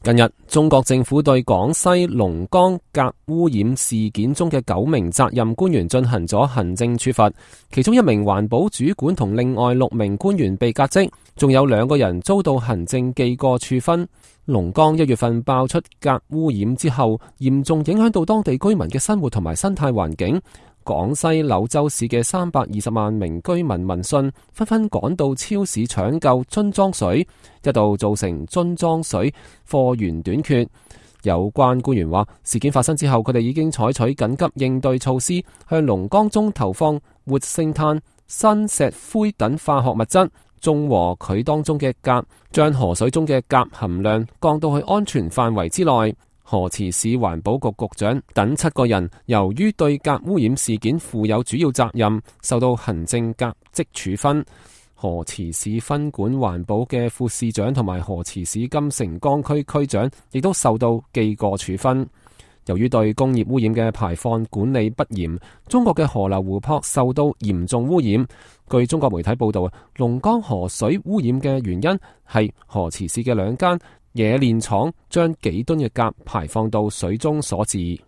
近日，中國政府對廣西龍崗鎘污染事件中嘅9名責任官員進行咗行政處罰，其中1名環保主管同另外6名官員被革職，仲有2個人遭到行政記過處分。龍崗1月份爆出鎘污染之後，嚴重影響到當地居民嘅生活同埋生態環境。廣西柳州市嘅320萬名居民聞訊，紛紛趕到超市搶救樽裝水，一度造成樽裝水貨源短缺。有關官員話，事件發生之後，佢哋已經採取緊急應對措施，向龍崗中投放活性炭、砷石灰等化學物質，中和佢當中嘅鎘，將河水中嘅鎘含量降到去安全範圍之內。河池市環保局局長等7個人，由於對鎘污染事件負有主要責任，受到行政革職處分。河池市分管環保嘅副市長同埋河池市金城江區區長，亦都受到記過處分。由於對工業污染嘅排放管理不嚴，中國嘅河流湖泊受到嚴重污染。據中國媒體報道，龍崗河水污染嘅原因係河池市嘅2間冶煉廠將幾噸嘅鎘排放到水中所致。